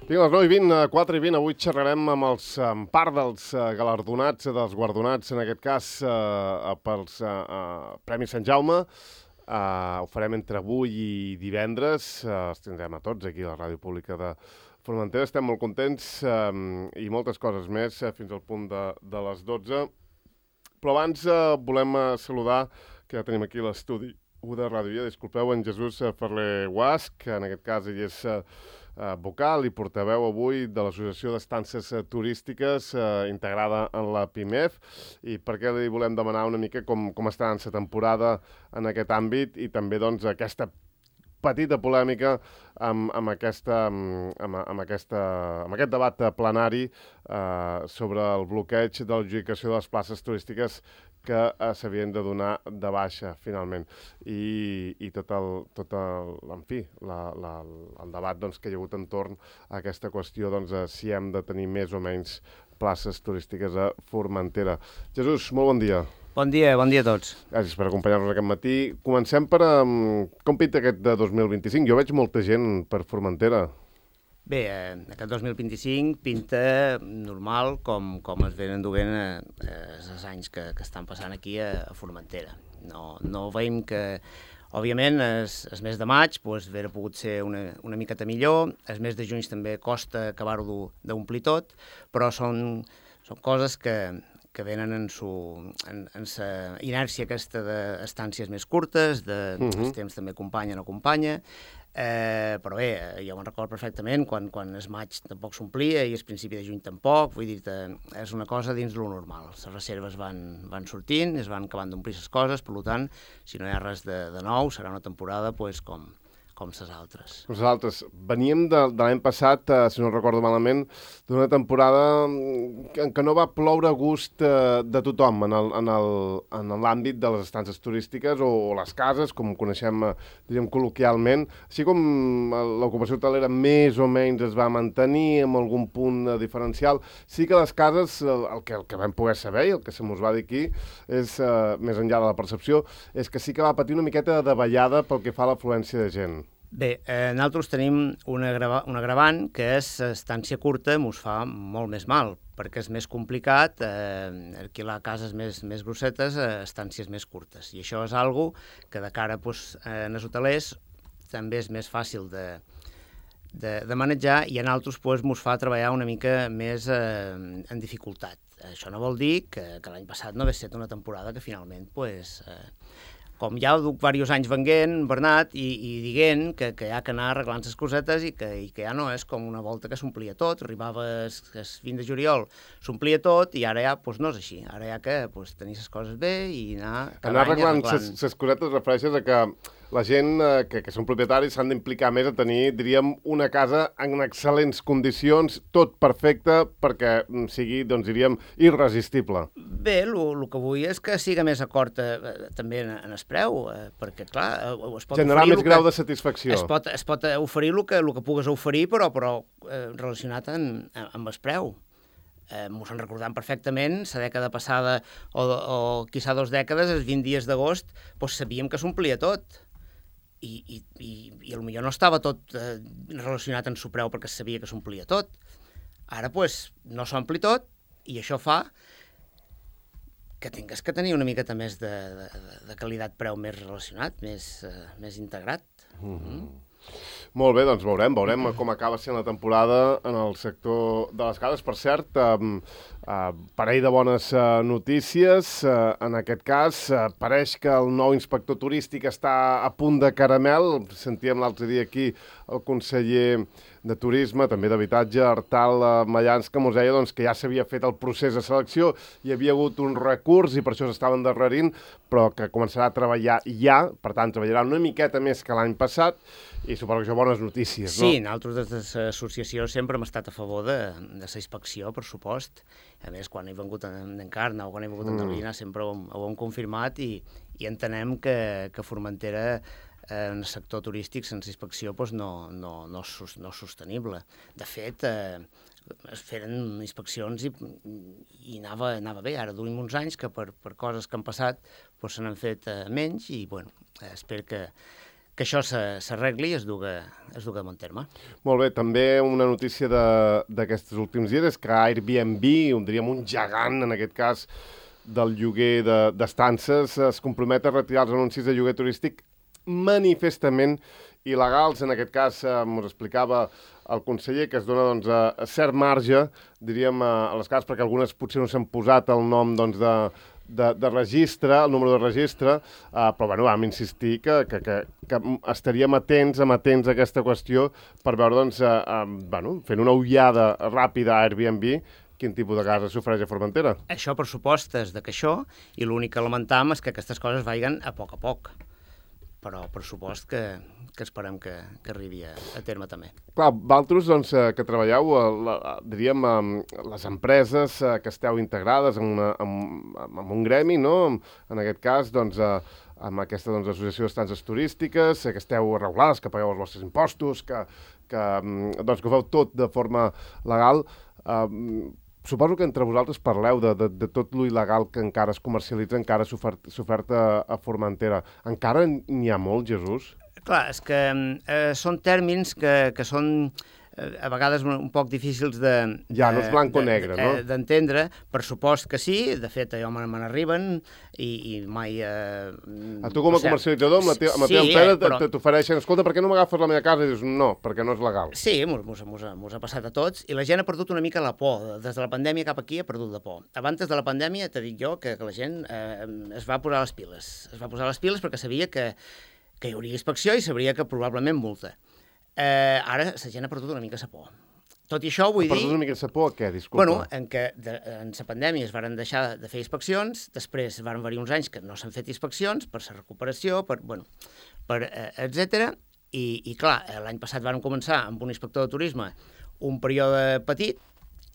Vinga, a les 9:20, 4:20, avui xerrarem amb part dels galardonats, dels guardonats, en aquest cas, pels Premis Sant Jaume. Ho farem entre avui i divendres. Els tindrem a tots aquí a la Ràdio Pública de Formentera. Estem molt contents i moltes coses més fins al punt de les 12. Però abans volem saludar, que ja tenim aquí l'estudi de Ràdio Via. Disculpeu, en Jesús Ferler Guasch, que en aquest cas ell és vocal i portaveu avui de l'Associació d'Estances Turístiques integrada en la PIMEF, i per què li volem demanar una mica com està en la temporada en aquest àmbit i també doncs aquesta petita polèmica amb aquest debat plenari sobre el bloqueig de l'adjudicació de les places turístiques que s'havien de donar de baixa, finalment. I tot el debat doncs, que hi ha hagut entorn a aquesta qüestió, doncs, si hem de tenir més o menys places turístiques a Formentera. Jesús, molt bon dia. Bon dia a tots. Gràcies per acompanyar-nos aquest matí. Comencem per com pinta aquest de 2025. Jo veig molta gent per Formentera. Bé, aquest 2025 pinta normal com es venen duent els anys que estan passant aquí a Formentera. No veiem que, òbviament, el mes de maig hauria pogut ser una miqueta millor, el mes de juny també costa acabar-ho d'omplir tot, però són coses que venen en la inèrcia aquesta d'estàncies més curtes, el temps també acompanya o no acompanya, però bé, jo me'n recordo perfectament quan el maig tampoc s'omplia i el principi de juny tampoc, vull dir, és una cosa dins lo normal. Les reserves van sortint, es van acabant d'omplir les coses, per tant, si no hi ha res de nou, serà una temporada com les altres. Les altres. Veníem de l'any passat, si no recordo malament, d'una temporada en què no va ploure a gust de tothom en l'àmbit de les estances turístiques o les cases, com coneixem, diríem, col·loquialment. Així com l'ocupació hotelera més o menys es va mantenir amb algun punt diferencial, sí que les cases, el que vam poder saber i el que se mos va dir aquí, és, més enllà de la percepció, és que sí que va patir una miqueta de davallada pel que fa a l'afluència de gent. Bé, nosaltres tenim un agravant que és estància curta, mos fa molt més mal, perquè és més complicat alquilar cases més grossetes a estàncies més curtes. I això és algo que de cara en els hotelers també és més fàcil de manejar i a nosaltres mos fa treballar una mica més en dificultat. Això no vol dir que l'any passat no hagués estat una temporada que finalment com ja duc diversos anys venguent, Bernat, i dient que hi ha que anar arreglant les cosetes i que ja no és com una volta que s'omplia tot, arribava el 20 de juliol, s'omplia tot i ara ja no és així, ara hi ha que tenir les coses bé i anar arreglant les cosetes refereixes a que la gent que són propietaris s'han d'implicar més a tenir, diríem, una casa en excel·lents condicions, tot perfecte, perquè sigui, doncs, diríem, irresistible. Bé, el que vull és que siga més acord també en el preu, perquè, clar, es pot generar més grau de satisfacció. Es pot oferir el que pugues oferir, però relacionat amb el preu. Mos en recordem perfectament, la dècada passada o quizà 2 dècades, els 20 dies d'agost, sabíem que s'omplia tot. I potser no estava tot relacionat amb el preu perquè es sabia que s'omplia tot. Ara, no s'ompli tot i això fa que tingues que tenir una miqueta més de qualitat-preu més relacionat, més integrat. Molt bé, doncs veurem com acaba sent la temporada en el sector de les cases. Per cert, parell de bones notícies. En aquest cas, pareix que el nou inspector turístic està a punt de caramel. Sentíem l'altre dia aquí el conseller de Turisme, també d'Habitatge, Artal Mallans, que ens deia que ja s'havia fet el procés de selecció, hi havia hagut un recurs i per això s'estava endarrerint, però que començarà a treballar ja, per tant, treballarà una miqueta més que l'any passat, i suposo que això bones notícies, no? Sí, nosaltres des de l'associació sempre hem estat a favor de la inspecció, per supost. A més, quan he vengut en Encarna o quan he vengut en Calvina sempre ho hem confirmat i entenem que Formentera en el sector turístic sense inspecció no és sostenible. De fet, es feren inspeccions i anava bé. Ara duim uns anys que per coses que han passat se n'han fet menys i espero que això s'arregli i es dugui a bon terme. Molt bé, també una notícia d'aquests últims dies és que Airbnb, diríem un gegant en aquest cas del lloguer d'estances, es compromet a retirar els anuncis de lloguer turístic manifestament il·legals. En aquest cas, ens explicava el conseller que es dona doncs, a cert marge, diríem, a les cases, perquè algunes potser no s'han posat el nom doncs, de registre, el número de registre, però bueno, vam insistir que estaríem atents a aquesta qüestió per veure, doncs, fent una ullada ràpida a Airbnb, quin tipus de casa s'ofereix a Formentera. Això, per supost, és que això, i l'únic que lamentam és que aquestes coses vagin a poc, però per supost que esperem que arribi a terme també. Clar, vosaltres, doncs, que treballeu, diríem, les empreses que esteu integrades en un gremi, no? En aquest cas, doncs, amb aquesta associació d'estances turístiques, que esteu regulades, que pagueu els vostres impostos, que ho feu tot de forma legal. Suposo que entre vosaltres parleu de tot lo il·legal que encara es comercialitza, encara s'oferta a Formentera. Encara n'hi ha molt, Jesús? Clar, és que són tèrmins que són a vegades un poc difícils de... Ja, no és blanc o negre, no? D'entendre. Per supost que sí, de fet, allò me n'arriben i mai... A tu com a comercialitzador, amb la teva empresa, t'ofereixen, escolta, per què no m'agafes la meva casa? I dius, no, perquè no és legal. Sí, mos ha passat a tots, i la gent ha perdut una mica la por. Des de la pandèmia cap aquí ha perdut la por. Abans de la pandèmia, t'he dit jo, que la gent es va posar les piles. Es va posar les piles perquè sabia que hi hauria inspecció i sabria que probablement multa. Ara la gent ha perdut una mica la por. Tot i això vull dir... Ha perdut una mica la por a què, disculpa? Bueno, en la pandèmia es van deixar de fer inspeccions, després van haver-hi uns anys que no s'han fet inspeccions per la recuperació, etc. I clar, l'any passat van començar amb un inspector de turisme un període petit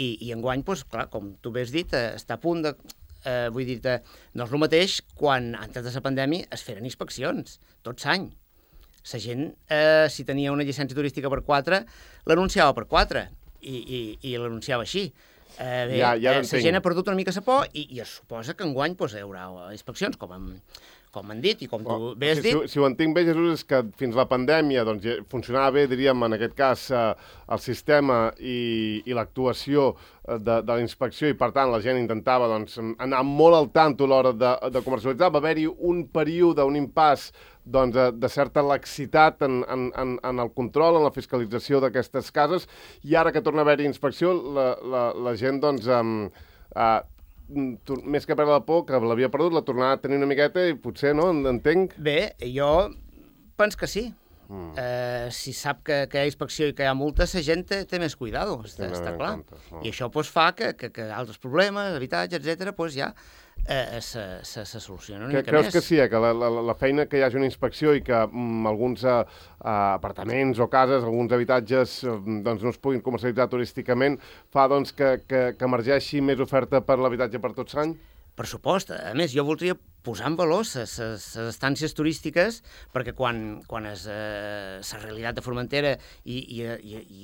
i enguany, doncs, clar, com tu bé has dit, està a punt de... vull dir, no és el mateix quan, antes de la pandèmia, es feren inspeccions, tot l'any. La gent, si tenia una llicència turística per 4, l'anunciava per 4 i l'anunciava així. La gent ha perdut una mica la por i es suposa que enguany hi haurà inspeccions, com han dit i com tu bé has dit. Si ho entenc bé, Jesús, és que fins la pandèmia funcionava bé, diríem, en aquest cas, el sistema i l'actuació de la inspecció i, per tant, la gent intentava anar molt al tanto a l'hora de comercialitzar. Va haver-hi un període, un impàs de certa laxitat en el control, en la fiscalització d'aquestes cases, i ara que torna a haver-hi inspecció, la gent, més que perdre la por, que l'havia perdut, la tornarà a tenir una miqueta i potser, no? Entenc? Bé, jo penso que sí. Si sap que hi ha inspecció i que hi ha multa, la gent té més cuidado, està clar. I això fa que altres problemes, habitatge, etc., ja se solucionen una mica més. Creus que sí, que la feina que hi hagi una inspecció i que alguns apartaments o cases, alguns habitatges no es puguin comercialitzar turísticament, fa que emergeixi més oferta per l'habitatge per tot l'any? Per supost. A més, jo voldria posar en valor les estàncies turístiques perquè quan la realitat de Formentera i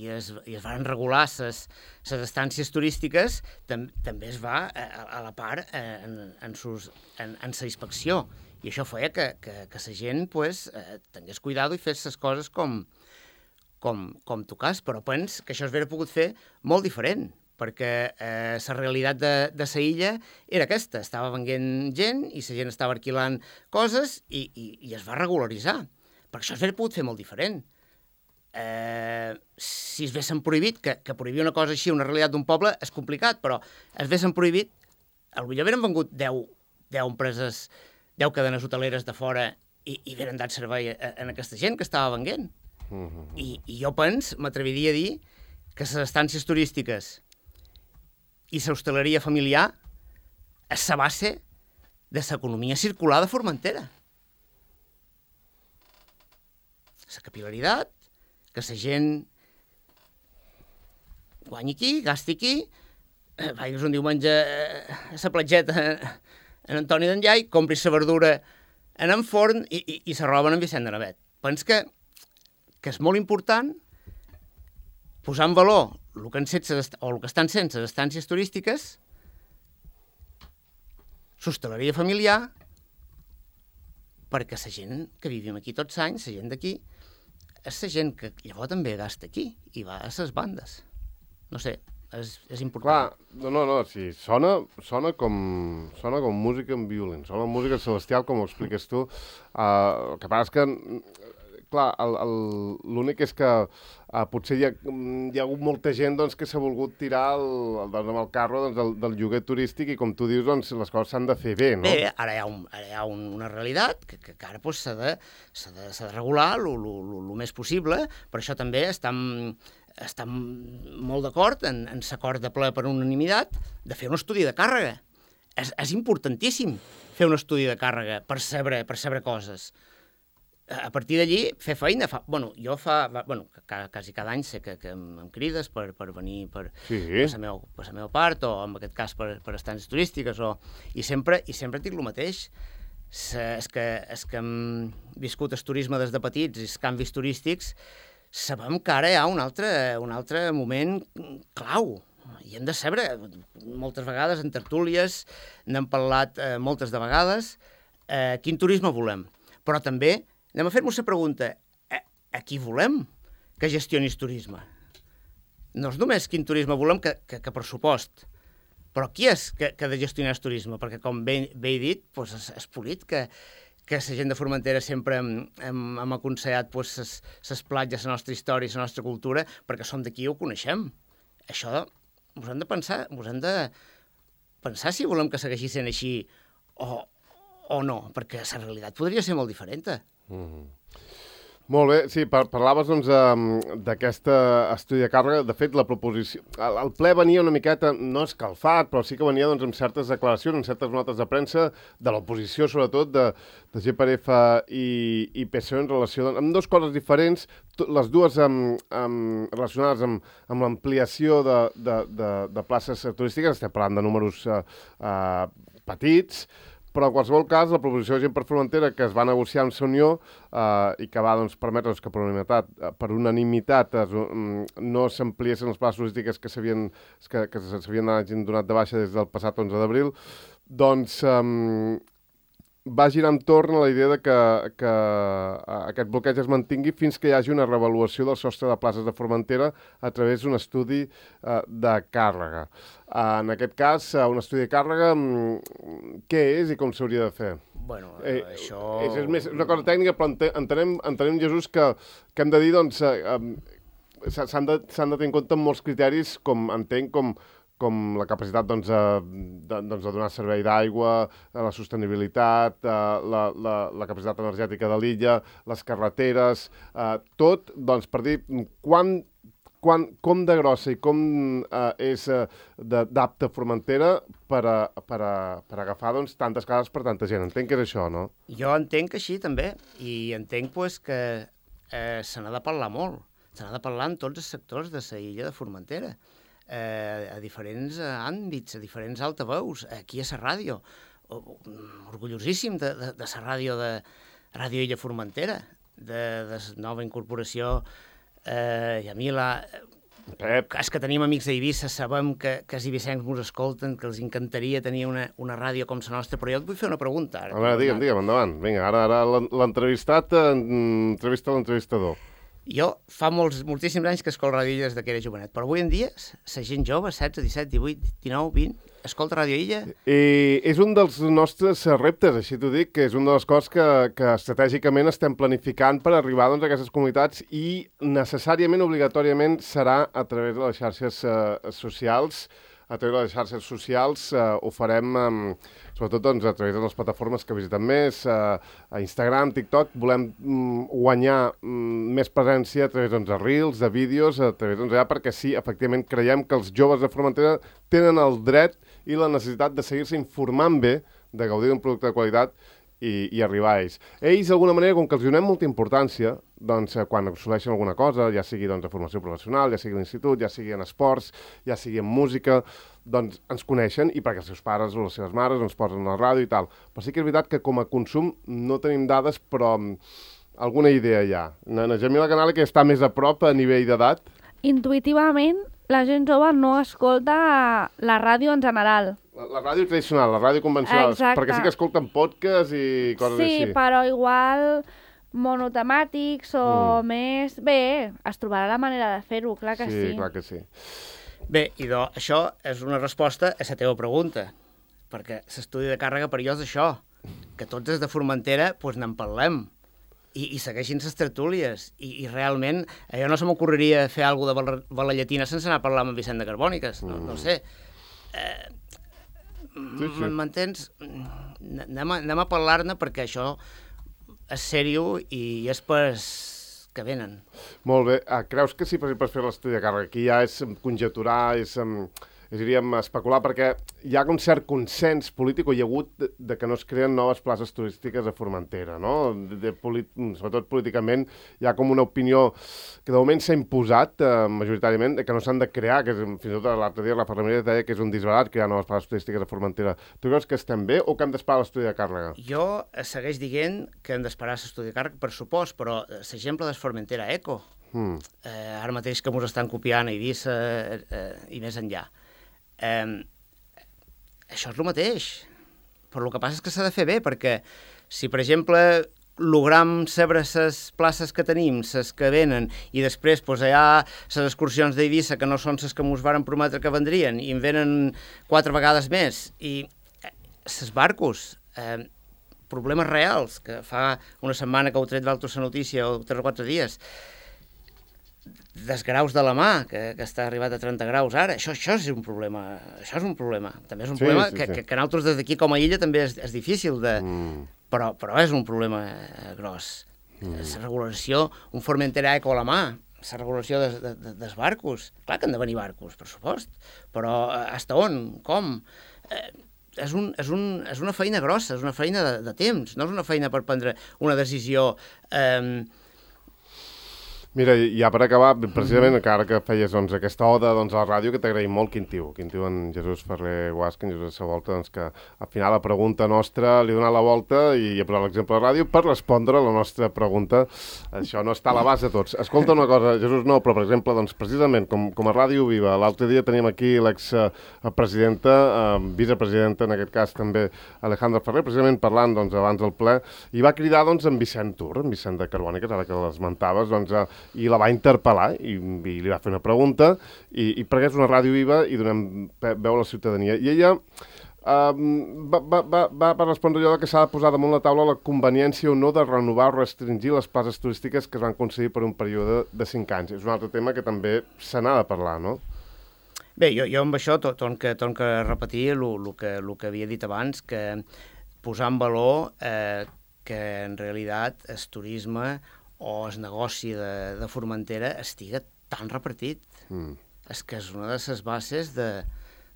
es van regular les estàncies turístiques, també es va a la part en la inspecció. I això feia que la gent tingués cuidado i fes les coses com tocàs, però penso que això es hauria pogut fer molt diferent, perquè la realitat de la illa era aquesta, estava venent gent i la gent estava alquilant coses i es va regularitzar. Per això es hauria pogut fer molt diferent. Si es haguessin prohibit, que prohibir una cosa així, una realitat d'un poble, és complicat, però es haguessin prohibit, potser haurien vengut 10 empreses, 10 cadenes hoteleres de fora i haurien dat servei a aquesta gent que estava venent. I jo m'atreviria a dir que les estàncies turístiques i l'hostaleria familiar és la base de l'economia circular de Formentera. La capil·laritat, que la gent guanyi aquí, gasti aquí, vagis un diumenge a la platgeta en Antoni d'Enllai, compris la verdura en en forn i la roba en Vicent de Navet. Penso que és molt important posar en valor el que estan sent les estàncies turístiques, l'hostaleria familiar, perquè la gent que vivim aquí tots anys, la gent d'aquí, és la gent que llavors també gasta aquí i va a les bandes. No sé, és important. Clar, no, sí, sona com música en violín, sona música celestial, com ho expliques tu. El que passa és que, clar, l'únic és que potser hi ha hagut molta gent doncs, que s'ha volgut tirar amb el carro doncs, del lloguer turístic i, com tu dius, doncs, les coses s'han de fer bé, no? Bé, ara hi ha una realitat que ara doncs, s'ha de regular el més possible, per això també estem molt d'acord en l'acord de ple per unanimitat de fer un estudi de càrrega. És importantíssim fer un estudi de càrrega per saber coses. A partir d'allí, fer feina. Jo quasi cada any sé que em crides per venir per la meva part, o en aquest cas per estàncies turístiques, i sempre dic el mateix. És que hem viscut el turisme des de petits i els canvis turístics, sabem que ara hi ha un altre moment clau. I hem de saber, moltes vegades en tertúlies, n'hem parlat moltes de vegades, quin turisme volem. Però també anem a fer-nos la pregunta, a qui volem que gestioni el turisme? No és només quin turisme volem que pressupost, però qui és que ha de gestionar el turisme? Perquè, com bé he dit, és polit que la gent de Formentera sempre hem aconsellat les platges, la nostra història, la nostra cultura, perquè som d'aquí i ho coneixem. Això us hem de pensar si volem que segueixi sent així o no, perquè la realitat podria ser molt diferent. Molt bé, sí, parlaves doncs, d'aquest estudi de càrrega. De fet, la proposició... El ple venia una miqueta, no escalfat, però sí que venia doncs, amb certes declaracions, amb certes notes de premsa, de l'oposició, sobretot, de GPRF i PSOE, en relació amb dues coses diferents, les dues relacionades amb l'ampliació de places turístiques. Estem parlant de números petits, però en qualsevol cas, la proposició de Gent per Formentera que es va negociar amb la Unió i que va permetre que per unanimitat no s'ampliessin les places turístiques que s'havien donat de baixa des del passat 11 d'abril, doncs va girar entorn a la idea de que aquest bloqueig es mantingui fins que hi hagi una reavaluació del sostre de places de Formentera a través d'un estudi de càrrega. En aquest cas, un estudi de càrrega, què és i com s'hauria de fer? Bueno, això... És més una cosa tècnica, però entenem, Jesús, que hem de dir, doncs, s'han de tenir en compte molts criteris, com entenc, com la capacitat de donar servei d'aigua, la sostenibilitat, la capacitat energètica de l'illa, les carreteres, tot, doncs, per dir com de grossa i com és d'apta Formentera per agafar doncs, tantes cases per tanta gent. Entenc que és això, no? Jo entenc que així, també, i entenc que se n'ha de parlar molt. Se n'ha de parlar en tots els sectors de la illa de Formentera, a diferents àmbits, a diferents altaveus, aquí a la ràdio. Orgullosíssim de la ràdio de Ràdio Illa Formentera, de la nova incorporació. I a mi és que tenim amics a Eivissa, sabem que els eivissencs ens escolten, que els encantaria tenir una ràdio com la nostra, però jo et vull fer una pregunta. A veure, digue'm, endavant. Vinga, ara l'entrevistat entrevista l'entrevistador. Jo fa moltíssims anys que escolto Ràdio Illa des que era jovenet, però avui en dia la gent jove, 16, 17, 18, 19, 20, escolta Ràdio Illa. És un dels nostres reptes, així t'ho dic, que és una de les coses que estratègicament estem planificant per arribar doncs, a aquestes comunitats, i necessàriament, obligatòriament, serà a través de les xarxes socials. A través de les xarxes socials ho farem, sobretot doncs, a través de les plataformes que visitem més, a Instagram, TikTok. Volem guanyar més presència a través de reels, de vídeos, a través d'allà, perquè sí, efectivament, creiem que els joves de Formentera tenen el dret i la necessitat de seguir-se informant bé, de gaudir d'un producte de qualitat i arribar a ells. Ells, d'alguna manera, com que els donem molta importància, doncs, quan assoleixen alguna cosa, ja sigui doncs, a formació professional, ja sigui a l'institut, ja sigui en esports, ja sigui en música, doncs ens coneixen, i perquè els seus pares o les seves mares ens posen a la ràdio i tal. Però sí que és veritat que com a consum no tenim dades, però alguna idea hi ha. Na Jamila Canale, que està més a prop a nivell d'edat. Intuïtivament, la gent jove no escolta la ràdio en general. La ràdio tradicional, la ràdio convencional, Exacte. perquè sí que escolten podcast i coses així. Sí, però igual monotemàtics o més... Bé, es trobarà la manera de fer-ho, clar que sí. Sí, clar que sí. Bé, idò, això és una resposta a la teva pregunta, perquè l'estudi de càrrega per jo és això, que tots des de Formentera doncs n'en parlem i segueixin les tertúlies i realment a jo no se m'ocorreria fer alguna cosa de Balallatina sense anar a parlar amb Vicent de Carbòniques, no sé. Sí. M'entens? Anem a parlar-ne perquè això és sèrio i és pas que venen. Molt bé. Creus que sí, per exemple, fer l'estudi de càrrega aquí ja és conjecturar, diríem, especular, perquè hi ha un cert consens polític, o hi ha hagut, de que no es creen noves places turístiques a Formentera, no? Sobretot políticament, hi ha com una opinió que de moment s'ha imposat majoritàriament, que no s'han de crear, que fins i tot l'altre dia la Ferreria deia que és un disbarat crear noves places turístiques a Formentera. Tu creus que estem bé o que hem d'esperar l'estudi de càrrega? Jo segueix dient que hem d'esperar l'estudi de càrrega, per supost, però l'exemple de Formentera Eco, ara mateix que ens estan copiant a Eivissa i més enllà. Això és el mateix, però el que passa és que s'ha de fer bé, perquè si, per exemple, logram saber les places que tenim, les que venen, i després hi ha les excursions d'Eivissa que no són les que ens varen prometre que vendrien, i en venen 4 vegades més, i els barcos, problemes reals, que fa una setmana que heu tret d'altres la notícia, o 3 o 4 dies, dels graus de la mà, que està arribat a 30 graus ara, això és un problema, també és un problema que nosaltres des d'aquí com a illa també és difícil de... Però és un problema gros. La regulació, un Formentera Eco a la mà, la regulació dels barcos, clar que han de venir barcos, per supost, però hasta on, com? És una feina grossa, és una feina de temps, no és una feina per prendre una decisió... Mira, ja per acabar, precisament, encara que feies aquesta oda a la ràdio, que t'agraïm molt, Quintiu, en Jesús Ferrer Guasca, en Jesús Savolta, que al final la pregunta nostra li ha donat la volta i ha posat l'exemple de ràdio per respondre a la nostra pregunta. Això no està a l'abast de tots. Escolta una cosa, Jesús, no, però per exemple, precisament, com a Ràdio Viva, l'altre dia teníem aquí l'expresidenta, vicepresidenta, en aquest cas també Alejandra Ferrer, precisament parlant abans del ple, i va cridar en Vicent Tur, en Vicent de Carbòniques, ara que l'esmentaves, i la va interpel·lar i li va fer una pregunta i perquè és una ràdio viva i donem veu a la ciutadania. I ella va respondre allò que s'ha de posar damunt la taula la conveniència o no de renovar o restringir les places turístiques que es van concedir per un període de 5 anys. És un altre tema que també se n'ha de parlar, no? Bé, jo amb això torno a repetir el que havia dit abans, que posar en valor que en realitat el turisme o el negoci de Formentera estiga tan repartit. És que és una de les bases de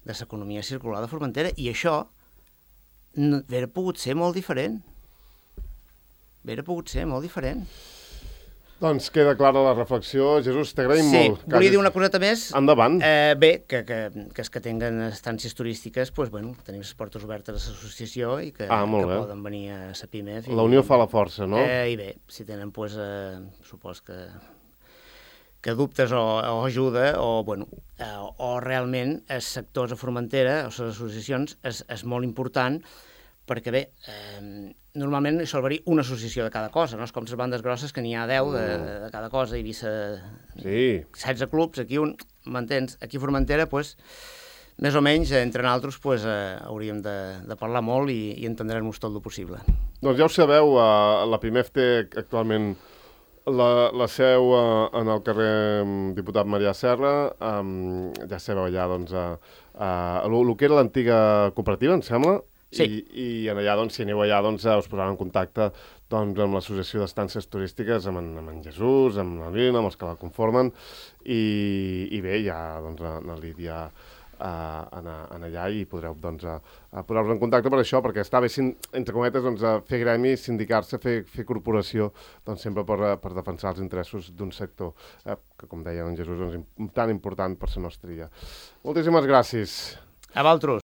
l'economia circular de Formentera i això hauria pogut ser molt diferent. Doncs queda clara la reflexió. Jesús, t'agraïm molt. Sí, volia dir una coseta més. Endavant. Bé, que els que tinguen estàncies turístiques, tenim les portes obertes a l'associació i que poden venir a la PIMEF. La unió fa la força, no? I bé, si tenen, supos que dubtes o ajuda, o realment els sectors a Formentera, o les associacions, és molt important, perquè bé, normalment hi salvaria una associació de cada cosa, no és com les bandes grosses que n'hi ha 10 de cada cosa, i Eivissa 16 clubs, aquí m'entens? Aquí a Formentera, més o menys, entre nosaltres, hauríem de parlar molt i entendrem-nos tot el possible. Doncs ja ho sabeu, la PIMEF té actualment la seu en el carrer Diputat Marià Serra, ja sabeu allà, el que era l'antiga cooperativa, em sembla. Sí. I allà, si aneu allà, us posaran en contacte amb l'associació d'estàncies turístiques, amb en Jesús, amb la Lina, amb els que la conformen, i bé, ja la Lídia allà i podreu posar-vos en contacte per això, perquè està bé, entre cometes, fer gremi, sindicar-se, fer corporació, sempre per defensar els interessos d'un sector que, com deia en Jesús, és tan important per la nostra illa. Moltíssimes gràcies. A vosaltres.